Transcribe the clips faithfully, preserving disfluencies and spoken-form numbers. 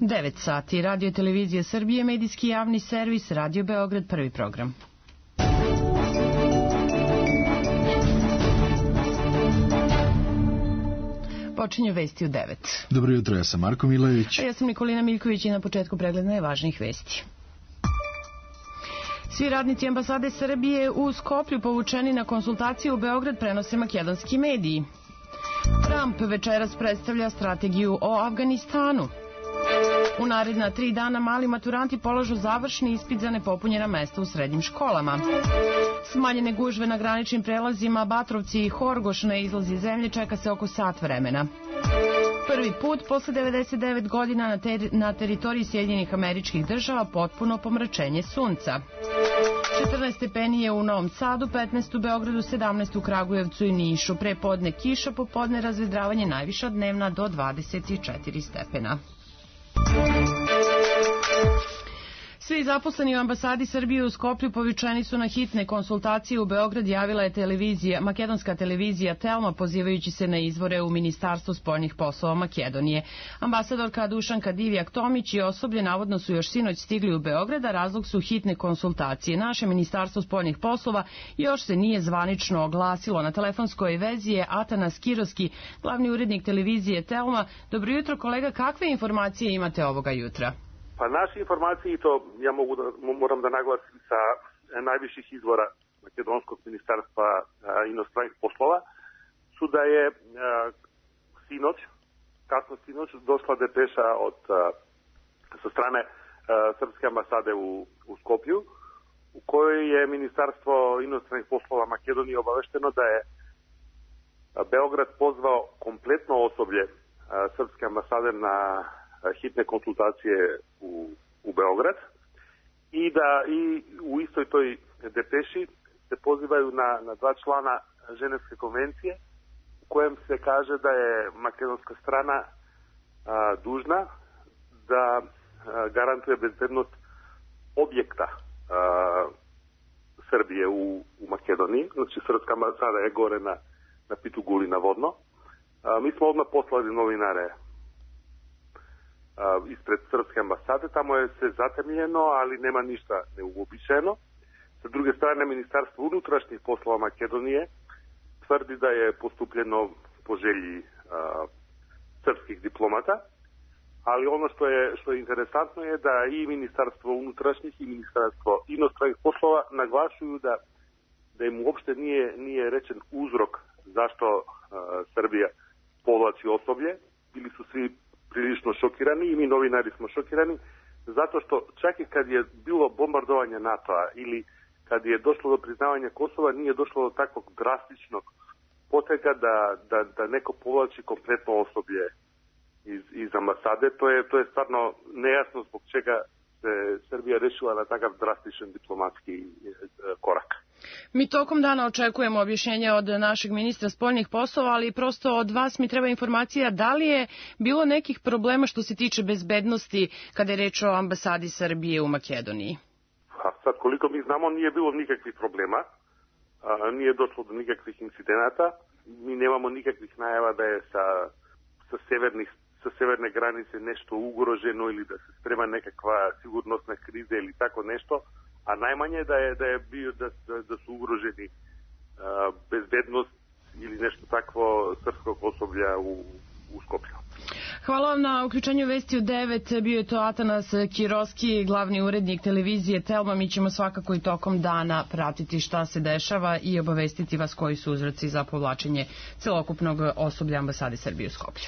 devet sati. Radio Televizija Srbije, medijski javni servis, Radio Beograd, prvi program. Počinju vesti u devet. Dobro jutro, ja sam Marko Milojević. A ja sam Nikolina Miljković i na početku pregled najvažnijih vesti. Svi radnici ambasade Srbije u Skoplju povučeni na konsultacije u Beograd prenose makedonski mediji. Trump večeras predstavlja strategiju o Afganistanu. U naredna tri dana mali maturanti polažu završni ispit za nepopunjena mesta u srednjim školama. Smanjene gužve na graničnim prelazima Batrovci i Horgoš na izlazi zemlje čeka se oko sat vremena. Prvi put posle devedeset devet godina na, ter na teritoriji Sjedinjenih Američkih Država potpuno pomračenje sunca. četrnaest stepeni je u Novom Sadu, petnaest u Beogradu, sedamnaest u Kragujevcu i Nišu. Pre podne kiša, popodne razvedravanje, najviša dnevna do dvadeset četiri stepena. Svi zaposleni u ambasadi Srbije u Skoplju povučeni su na hitne konsultacije u Beograd, javila je televizija, makedonska televizija Telma, pozivajući se na izvore u Ministarstvu spoljnih poslova Makedonije. Ambasadorka Dušanka Divjak-Tomić i osoblje navodno su još sinoć stigli u Beograd, a razlog su hitne konsultacije. Naše Ministarstvo spoljnih poslova još se nije zvanično oglasilo. Na telefonskoj vezi je Atanas Kiroski, glavni urednik televizije Telma. Dobro jutro, kolega, kakve informacije imate ovoga jutra? Pa naše informacije, i to ja mogu da, moram da naglasim sa najviših izvora Makedonskog ministarstva a, inostranih poslova, su da je a, sinoć, kasno sinoć, došla depeša od, a, sa strane a, Srpske ambasade u, u Skoplju, u kojoj je Ministarstvo inostranih poslova Makedonije obavešteno da je Beograd pozvao kompletno osoblje a, Srpske ambasade na hitne konsultacije u, u Beograd i da i u istoj toj depeši se pozivaju na, na dva člana Ženevske konvencije u kojem se kaže da je makedonska strana a, dužna da a, garantuje bezbednost objekta a, Srbije u, u Makedoniji. Znači, Srpska ambasada je gore na, na Pituguli navodno. A, mi smo odmah poslali novinare Uh, ispred Srpske ambasade, tamo je se zatemljeno, ali nema ništa neuobičajeno. Sa druge strane, Ministarstvo unutrašnjih poslova Makedonije tvrdi da je postupljeno po želji uh, srpskih diplomata, ali ono što je, što je interesantno je da i Ministarstvo unutrašnjih i Ministarstvo inostranih poslova naglašuju da, da im uopšte nije, nije rečen uzrok zašto uh, Srbija povlači osoblje. Bili su svi prilično šokirani i mi novinari smo šokirani, zato što čak i kad je bilo bombardovanje NATO-a ili kad je došlo do priznavanja Kosova, nije došlo do takvog drastičnog potega da, da, da neko povlači kompletno osoblje iz, iz ambasade. To je, to je stvarno nejasno zbog čega se Srbija rešila na takav drastičan diplomatski korak. Mi tokom dana očekujemo objašnjenje od našeg ministra spoljnih poslova, ali prosto od vas mi treba informacija da li je bilo nekih problema što se tiče bezbednosti kada je reč o ambasadi Srbije u Makedoniji? A sad, koliko mi znamo, nije bilo nikakvih problema, a, nije došlo do nikakvih incidenata, mi nemamo nikakvih najava da je sa, sa, severnih, sa severne granice nešto ugroženo ili da se sprema nekakva sigurnosna kriza ili tako nešto. A najmanje da je da je bio da, da, da su ugroženi uh, bezbednost ili nešto takvo srpskog osoblja u, u Skoplju. Hvala vam na uključenju vesti u devet. Bio je to Atanas Kiroski, glavni urednik televizije Telma. Mi ćemo svakako i tokom dana pratiti šta se dešava i obavestiti vas koji su uzroci za povlačenje celokupnog osoblja ambasade Srbije u Skoplju.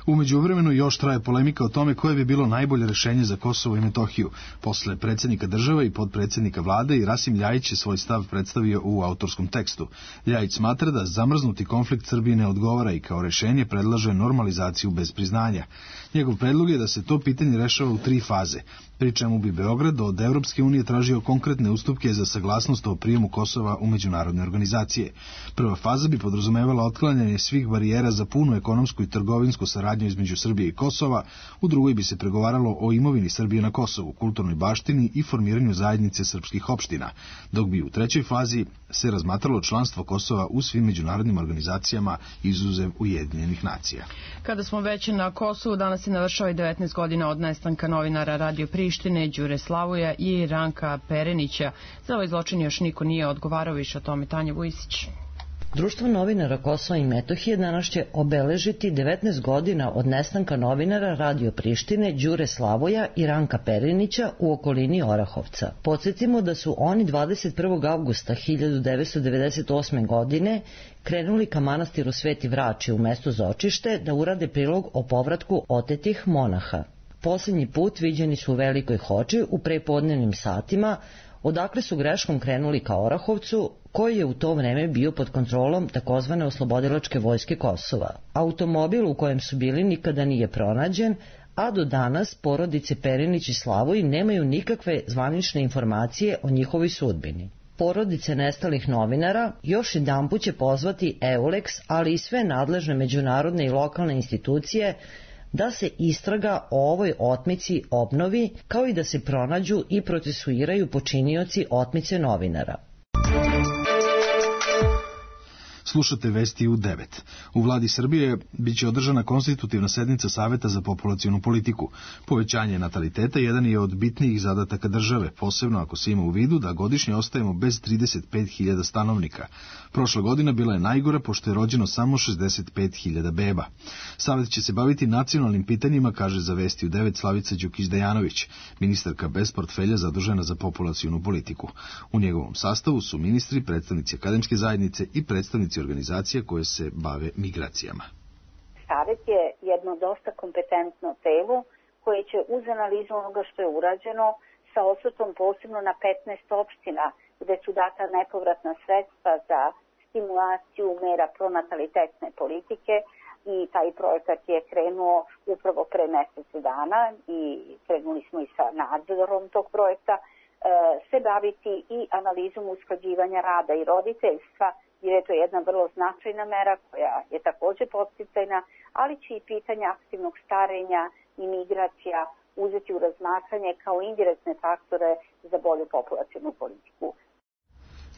U međuvremenu još traje polemika o tome koje bi bilo najbolje rešenje za Kosovo i Metohiju. Posle predsjednika države i podpredsjednika vlade i Rasim Ljajić je svoj stav predstavio u autorskom tekstu. Ljajić smatra da zamrznuti konflikt Srbije ne odgovara i kao rešenje predlaže normalizaciju bez priznanja. Njegov predlog je da se to pitanje rešava u tri faze, pri čemu bi Beograd od Evropske unije tražio konkretne ustupke za saglasnost o prijemu Kosova u međunarodne organizacije. Prva faza bi podrazumevala otklanjanje svih barijera za punu ekonomsku i trgovinsku saradnju između Srbije i Kosova, u drugoj bi se pregovaralo o imovini Srbije na Kosovu, kulturnoj baštini i formiranju zajednice srpskih opština, dok bi u trećoj fazi se razmatralo članstvo Kosova u svim međunarodnim organizacijama izuzev Ujedinjenih nacija. Kada smo već Vujić. Na Kosovu danas se navršava i devetnaest godina od nestanka novinara Radio Prištine, Đure Slavuja i Ranka Perenića. Za ovaj zločin još niko nije odgovarao, više o tome Tanja Vujisić. Društvo novinara Kosova i Metohije danas će obeležiti devetnaest godina od nestanka novinara Radio Prištine, Đure Slavoja i Ranka Perenića u okolini Orahovca. Podsjetimo da su oni dvadeset prvog avgusta hiljadu devetsto devedeset osme. godine krenuli ka manastiru Sveti Vrači u mestu Zočište da urade prilog o povratku otetih monaha. Posljednji put viđeni su u Velikoj Hoči u prepodnevnim satima, odakle su greškom krenuli ka Orahovcu, koji je u to vreme bio pod kontrolom takozvane oslobodilačke vojske Kosova. Automobil u kojem su bili nikada nije pronađen, a do danas porodice Perenić i Slavoj nemaju nikakve zvanične informacije o njihovoj sudbini. Porodice nestalih novinara još jedanput će pozvati EULEX, ali i sve nadležne međunarodne i lokalne institucije da se istraga o ovoj otmici obnovi, kao i da se pronađu i procesuiraju počinioci otmice novinara. Slušate vesti u devet. U vladi Srbije biće održana konstitutivna sednica Saveta za populacionu politiku. Povećanje nataliteta jedan je od bitnijih zadataka države, posebno ako se ima u vidu da godišnje ostajemo bez trideset pet hiljada stanovnika. Prošla godina bila je najgora, pošto je rođeno samo šezdeset pet hiljada beba. Savet će se baviti nacionalnim pitanjima, kaže za vesti u devet Slavica Đukić-Dejanović, ministarka bez portfelja zadužena za populacionu politiku. U njegovom sastavu su ministri, predstavnici akademske zajednice i predstavnici organizacija koje se bave migracijama. Savet je jedno dosta kompetentno telo koje će uz analizu onoga što je urađeno sa osvrtom posebno na petnaest opština gde su data nepovratna sredstva za stimulaciju mera pronatalitetne politike i taj projekat je krenuo upravo pre mesec dana i krenuli smo i sa nadzorom tog projekta, se baviti i analizom usklađivanja rada i roditeljstva, jer je to jedna vrlo značajna mera koja je takođe podsticajna, ali će i pitanja aktivnog starenja i migracija uzeti u razmatranje kao indirektne faktore za bolju populacionu politiku.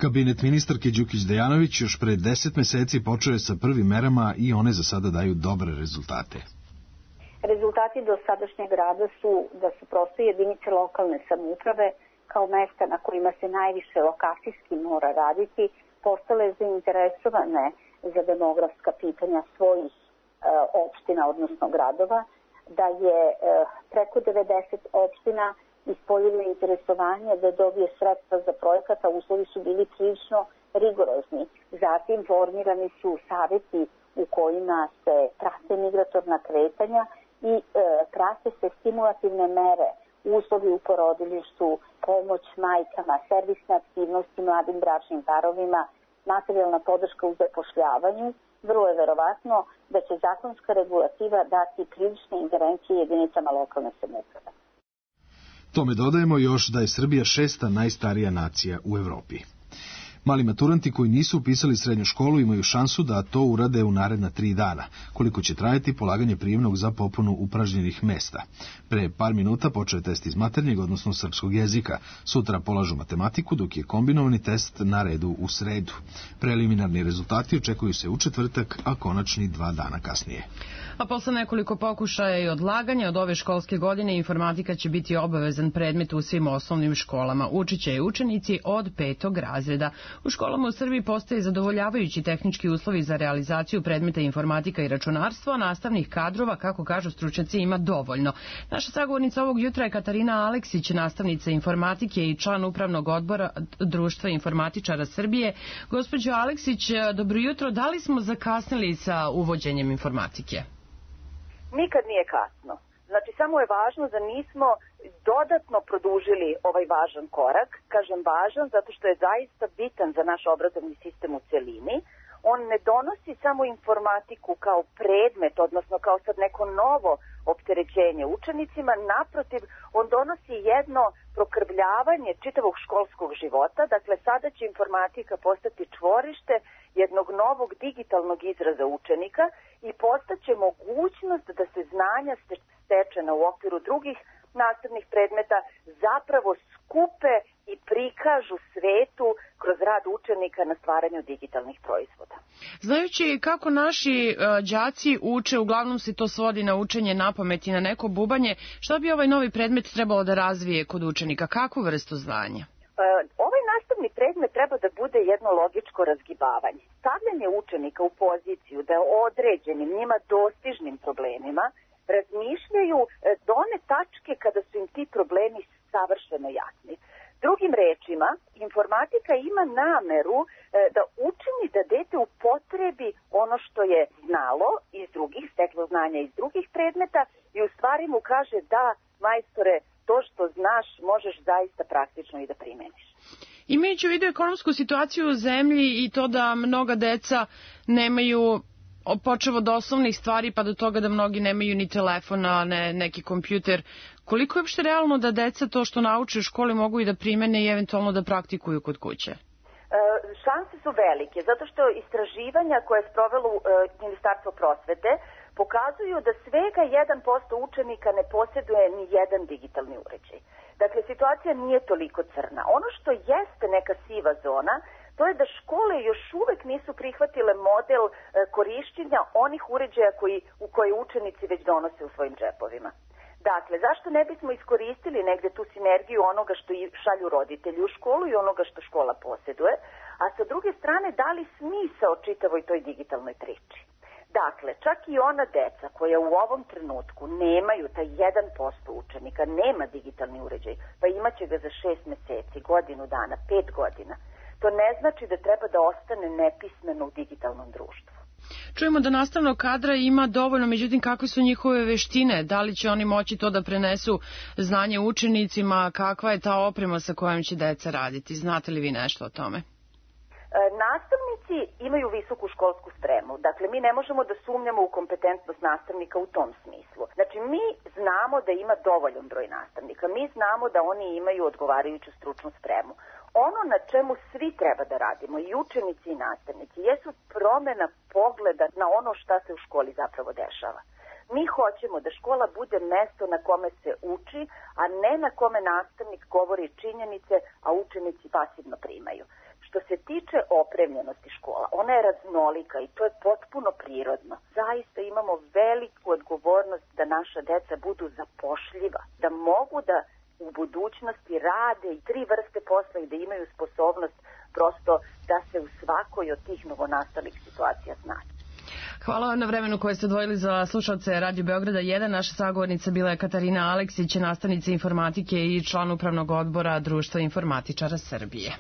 Kabinet ministarke Đukić-Dejanović još pre deset meseci počeo je sa prvim merama i one za sada daju dobre rezultate. Rezultati do sadašnjeg rada su da su prosto jedinice lokalne samouprave kao mesta na kojima se najviše lokacijski mora raditi, postale zainteresovane za demografska pitanja svojih e, opština, odnosno gradova, da je e, preko devedeset opština ispoljilo interesovanje da dobije sredstva za projekat, a uslovi su bili prilično rigorozni. Zatim formirani su saveti u kojima se prate migratorna kretanja i e, prate se stimulativne mere, uslovi u porodilištu, pomoć majkama, servisne aktivnosti mladim bračnim parovima, materijalna podrška u zapošljavanju. Vrlo je verovatno da će zakonska regulativa dati prilične ingerencije jedinicama lokalne samouprave. Tome dodajemo još da je Srbija šesta najstarija nacija u Evropi. Mali maturanti koji nisu upisali srednju školu imaju šansu da to urade u naredna tri dana, koliko će trajati polaganje prijemnog za popunu upražnjenih mesta. Pre par minuta počeo je test iz maternjeg, odnosno srpskog jezika. Sutra polažu matematiku, dok je kombinovani test na redu u sredu. Preliminarni rezultati očekuju se u četvrtak, a konačni dva dana kasnije. A posle nekoliko pokušaja i odlaganja od ove školske godine informatika će biti obavezan predmet u svim osnovnim školama. Učiće i učenici od petog razreda. U školama u Srbiji postoje zadovoljavajući tehnički uslovi za realizaciju predmeta informatika i računarstvo, a nastavnih kadrova, kako kažu stručnjaci, ima dovoljno. Naša sagovornica ovog jutra je Katarina Aleksić, nastavnica informatike i član upravnog odbora Društva informatičara Srbije. Gospođo Aleksić, dobro jutro. Da li smo zakasnili sa uvođenjem informatike? Nikad nije kasno. Znači, samo je važno da nismo dodatno produžili ovaj važan korak. Kažem važan zato što je zaista bitan za naš obrazovni sistem u celini. On ne donosi samo informatiku kao predmet, odnosno kao sad neko novo opterećenje učenicima. Naprotiv, on donosi jedno prokrvljavanje čitavog školskog života. Dakle, sada će informatika postati čvorište jednog novog digitalnog izraza učenika i postaće mogućnost da se znanja stečena u okviru drugih nastavnih predmeta zapravo skupe i prikažu svetu kroz rad učenika na stvaranju digitalnih proizvoda. Znajući kako naši uh, đaci uče, uglavnom se to svodi na učenje napamet i na neko bubanje, šta bi ovaj novi predmet trebalo da razvije kod učenika? Kakvu vrstu znanja? Uh, ovaj nastavni predmet treba da bude jedno logičko razgibavanje. Stavljanje učenika u poziciju da određenim njima dostižnim problemima razmišljaju do one tačke kada su im ti problemi savršeno jasni. Drugim rečima, informatika ima nameru e, da učini da dete upotrebi ono što je znalo iz drugih, steklo znanja iz drugih predmeta i u stvari mu kaže da, majstore, to što znaš možeš zaista praktično i da primeniš. Imajući u vidu ekonomsku situaciju u zemlji i to da mnoga deca nemaju počev od osnovnih stvari pa do toga da mnogi nemaju ni telefona, ne, neki kompjuter, koliko je uopšte realno da deca to što nauče u školi mogu i da primene i eventualno da praktikuju kod kuće? E, šanse su velike, zato što istraživanja koje je sprovelo e, Ministarstvo prosvete pokazuju da svega jedan posto učenika ne posjeduje ni jedan digitalni uređaj. Dakle, situacija nije toliko crna. Ono što jeste neka siva zona, to je da škole još uvek nisu prihvatile model e, korišćenja onih uređaja koji, u koje učenici već donose u svojim džepovima. Dakle, zašto ne bismo iskoristili negde tu sinergiju onoga što šalju roditelji u školu i onoga što škola posjeduje, a sa druge strane dali smisao čitavoj toj digitalnoj priči. Dakle, čak i ona deca koja u ovom trenutku nemaju taj jedan posto učenika, nema digitalni uređaj, pa imaće ga za šest meseci, godinu dana, pet godina. To ne znači da treba da ostane nepismeno u digitalnom društvu. Čujemo da nastavnog kadra ima dovoljno, međutim kakve su njihove veštine? Da li će oni moći to da prenesu znanje učenicima? Kakva je ta oprema sa kojom će deca raditi? Znate li vi nešto o tome? Nastavnici imaju visoku školsku spremu. Dakle, mi ne možemo da sumnjamo u kompetentnost nastavnika u tom smislu. Znači, mi znamo da ima dovoljan broj nastavnika. Mi znamo da oni imaju odgovarajuću stručnu spremu. Ono na čemu svi treba da radimo, i učenici i nastavnici, jesu promena pogleda na ono šta se u školi zapravo dešava. Mi hoćemo da škola bude mesto na kome se uči, a ne na kome nastavnik govori činjenice, a učenici pasivno primaju. Što se tiče opremljenosti škola, ona je raznolika i to je potpuno prirodno. Zaista imamo veliku odgovornost da naša deca budu zapošljiva, da mogu da u budućnosti rade i tri vrste posla i da imaju sposobnost prosto da se u svakoj od tih novonastalih situacija snađu. Hvala vam na vremenu koje ste odvojili za slušalce Radio Beograda jedan. Naša sagovornica bila je Katarina Aleksić, nastavnica informatike i član upravnog odbora Društva informatičara Srbije.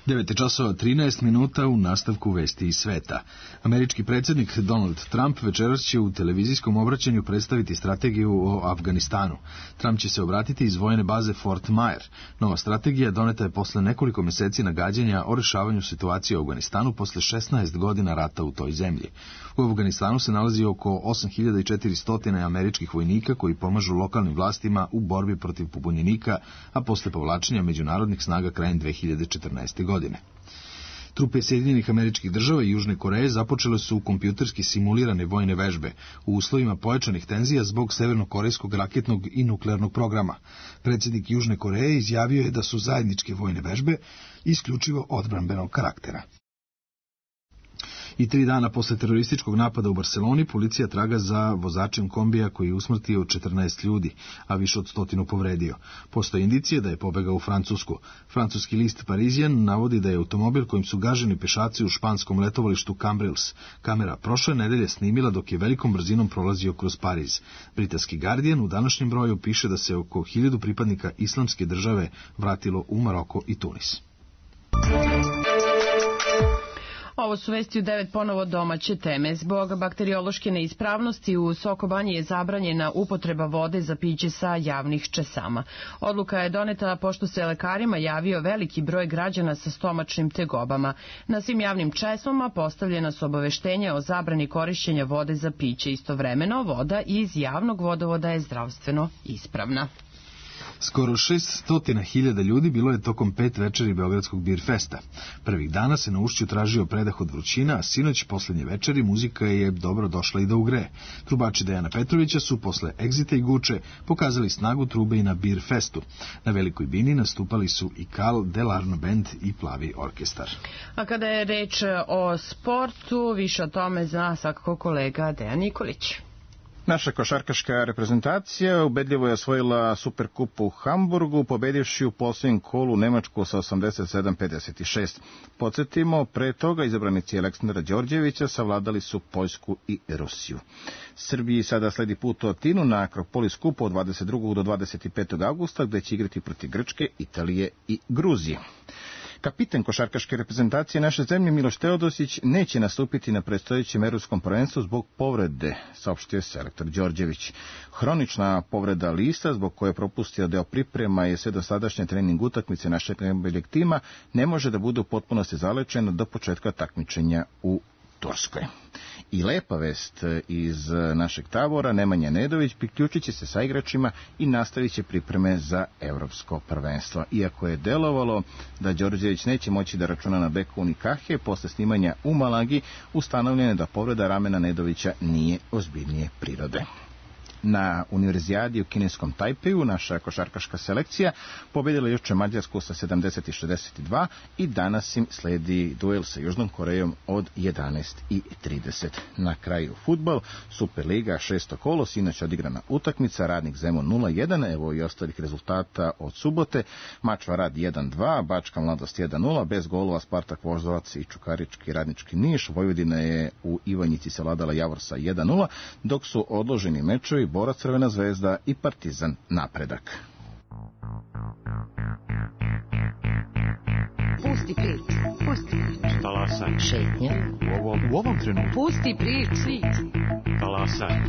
devet časova trinaest minuta u nastavku vesti iz sveta. Američki predsjednik Donald Trump večeras će u televizijskom obraćanju predstaviti strategiju o Afganistanu. Trump će se obratiti iz vojne baze Fort Myer. Nova strategija doneta je posle nekoliko meseci nagađanja o rešavanju situacije u Afganistanu posle šesnaest godina rata u toj zemlji. U Afganistanu se nalazi oko osam hiljada četiristo američkih vojnika koji pomažu lokalnim vlastima u borbi protiv pobunjenika, a posle povlačenja međunarodnih snaga krajem dve hiljade četrnaeste. godine. Trupe Sjedinjenih Američkih Država i Južne Koreje započele su kompjuterski simulirane vojne vežbe u uslovima pojačanih tenzija zbog severnokorejskog raketnog i nuklearnog programa. Predsjednik Južne Koreje izjavio je da su zajedničke vojne vežbe isključivo odbrambenog karaktera. I tri dana posle terorističkog napada u Barseloni, policija traga za vozačem kombija koji je usmrtio četrnaest ljudi, a više od stotinu povredio. Postoje indicije da je pobegao u Francusku. Francuski list Parisien navodi da je automobil kojim su gaženi pešaci u španskom letovalištu Cambrils kamera prošle nedelje snimila dok je velikom brzinom prolazio kroz Pariz. Britanski Guardian u današnjem broju piše da se oko hiljadu pripadnika islamske države vratilo u Maroko i Tunis. Ovo su vesti u devet ponovo domaće teme. Zbog bakteriološke neispravnosti u Sokobanji je zabranjena upotreba vode za piće sa javnih česama. Odluka je doneta pošto se lekarima javio veliki broj građana sa stomačnim tegobama. Na svim javnim česmama postavljena su obaveštenja o zabrani korišćenja vode za piće. Istovremeno, voda iz javnog vodovoda je zdravstveno ispravna. Skoro šeststotina hiljada ljudi bilo je tokom pet večeri Beogradskog Bir Festa. Prvih dana se na ušću tražio predah od vrućina, a sinoć, posljednje večeri, muzika je dobro došla i da ugreje. Trubači Dejana Petrovića su posle Egzita i Guče pokazali snagu trube i na Bir Festu. Na Velikoj bini nastupali su i Kal, Delarno Band i Plavi orkestar. A kada je reč o sportu, više o tome zna svakako kolega Dejan Nikolić. Naša košarkaška reprezentacija ubedljivo je osvojila Superkup u Hamburgu, pobedivši u posljednjem kolu Nemačku sa osamdeset sedam pedeset šest. Podsjetimo, pre toga izabranici Aleksandra Đorđevića savladali su Poljsku i Rusiju. Srbiji sada sledi put u Atinu na Akropolis kupu od dvadeset drugog do dvadeset petog avgusta, gde će igrati protiv Grčke, Italije i Gruzije. Kapitan košarkaške reprezentacije naše zemlje Miloš Teodosić neće nastupiti na predstojećem evropskom prvenstvu zbog povrede, saopštio selektor Đorđević. Hronična povreda lista, zbog koje je propustio deo priprema i sve dosadašnje trening utakmice našeg najboljeg tima, ne može da bude u potpunosti zalečena do početka takmičenja u Turskoj. I lepa vest iz našeg tabora, Nemanja Nedović priključit će se sa igračima i nastavit će pripreme za evropsko prvenstvo. Iako je delovalo da Đorđević neće moći da računa na Beku Unikahe, posle snimanja u Malagi ustanovljeno je da povreda ramena Nedovića nije ozbiljnije prirode. Na univerzijadi u kineskom Tajpeju naša košarkaška selekcija pobedila juče Mađarsku sa sedamdeset šezdeset dva i danas im sledi duel sa Južnom Korejom od jedanaest i trideset. Na kraju fudbal, Superliga, šesto kolo, sinoć odigrana utakmica, Radnik Zemun nula jedan, evo i ostalih rezultata od subote, Mačva Rad jedan dva, Bačka Mladost jedan nula, bez golova Spartak Voždovac i Čukarički Radnički Niš, Vojvodina je u Ivanjici savladala Javor sa jedan nula, dok su odloženi mečevi Borac Crvena zvezda i Partizan Napredak. Pusti prič, pusti prič. Talasaj. Šetnja. U ovom, u ovom trenutku. Pusti prič. Talasaj.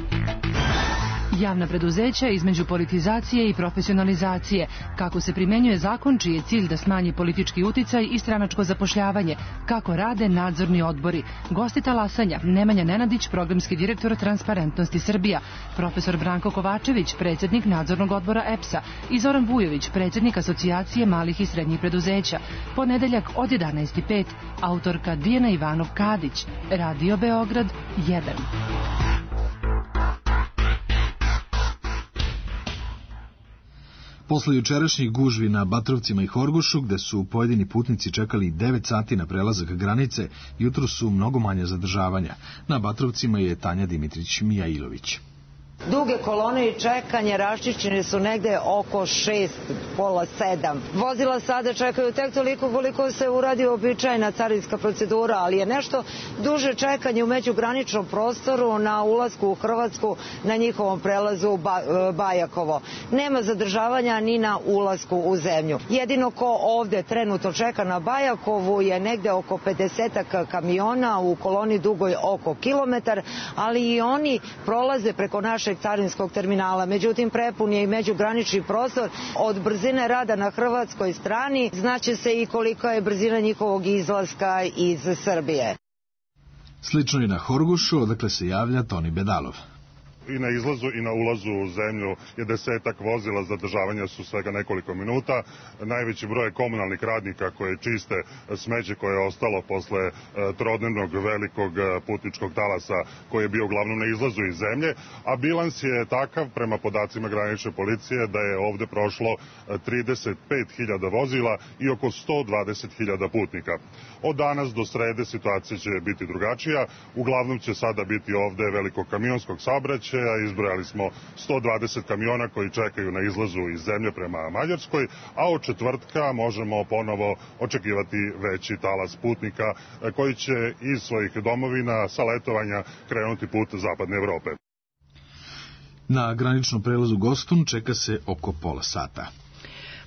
Javna preduzeća između politizacije i profesionalizacije. Kako se primenjuje zakon čiji je cilj da smanji politički uticaj i stranačko zapošljavanje. Kako rade nadzorni odbori. Gosti talasanja, Nemanja Nenadić, programski direktor Transparentnosti Srbija, profesor Branko Kovačević, predsjednik nadzornog odbora E P S-a i Zoran Vujović, predsjednik Asocijacije malih i srednjih preduzeća. Ponedeljak od jedanaest i pet, autorka Dijana Ivanov-Kadić, Radio Beograd jedan. Posle jučerašnjih gužvi na Batrovcima i Horgošu, gde su pojedini putnici čekali devet sati na prelazak granice, jutro su mnogo manje zadržavanja. Na Batrovcima je Tanja Dimitrić-Mijailović. Duge kolone i čekanje raščišćene su negde oko šest, pola sedam. Vozila sada čekaju tek toliko koliko se uradi običajna carinska procedura, ali je nešto duže čekanje u međugraničnom prostoru na ulasku u Hrvatsku na njihovom prelazu Bajakovo. Nema zadržavanja ni na ulasku u zemlju. Jedino ko ovde trenutno čeka na Bajakovu je negde oko pedesetak kamiona u koloni dugoj oko kilometar, ali i oni prolaze preko naše carinskog terminala. Međutim, prepun je i međugranični prostor. Od brzine rada na hrvatskoj strani znaće se i kolika je brzina njihovog izlaska iz Srbije. Slično i na Horgošu, odakle se javlja Toni Bedalov. I na izlazu i na ulazu u zemlju je desetak vozila, zadržavanja su svega nekoliko minuta. Najveći broj komunalnih radnika koje čiste smeće koje je ostalo posle trodnevnog velikog putničkog talasa koji je bio uglavnom na izlazu iz zemlje, a bilans je takav prema podacima granične policije da je ovde prošlo trideset pet hiljada vozila i oko sto dvadeset hiljada putnika. Od danas do srede situacija će biti drugačija. Uglavnom će sada biti ovde velikog kamionskog saobraćaja. Izbrojali smo sto dvadeset kamiona koji čekaju na izlazu iz zemlje prema Mađarskoj, a od četvrtka možemo ponovo očekivati veći talas putnika koji će iz svojih domovina sa letovanja krenuti put zapadne Evrope. Na graničnom prelazu Gostun čeka se oko pola sata.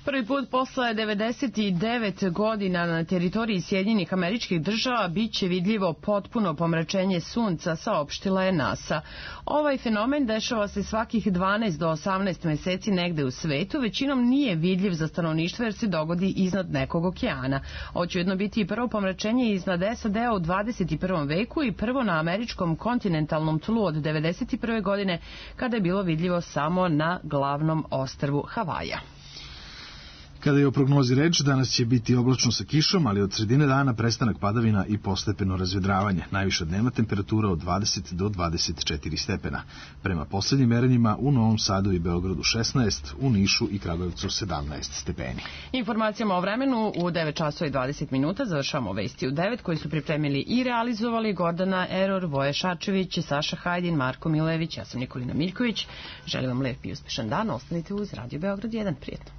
Prvi put posle devedeset devet godina na teritoriji Sjedinjenih Američkih Država biće vidljivo potpuno pomračenje sunca, saopštila je NASA. Ovaj fenomen dešava se svakih dvanaest do osamnaest meseci negde u svetu, većinom nije vidljiv za stanovništvo jer se dogodi iznad nekog okeana. Ovo će jedno biti i prvo pomračenje iznad S A D-a u dvadeset prvom veku i prvo na američkom kontinentalnom tlu od devedeset prve godine kada je bilo vidljivo samo na glavnom ostrvu Havaja. Kada je o prognozi reč, danas će biti oblačno sa kišom, ali od sredine dana prestanak padavina i postepeno razvedravanje. Najviša dnevna temperatura od dvadeset do dvadeset četiri stepena. Prema poslednjim merenjima u Novom Sadu i Beogradu šesnaest, u Nišu i Kragujevcu sedamnaest stepeni. Informacijama o vremenu u devet časova i dvadeset minuta završavamo vesti u devet koji su pripremili i realizovali Gordana Eror, Voje Šačević, Saša Hajdin, Marko Milević, ja sam Nikolina Miljković. Želim vam lep i uspešan dan, ostanite uz Radio Beograd jedan. Prijetno.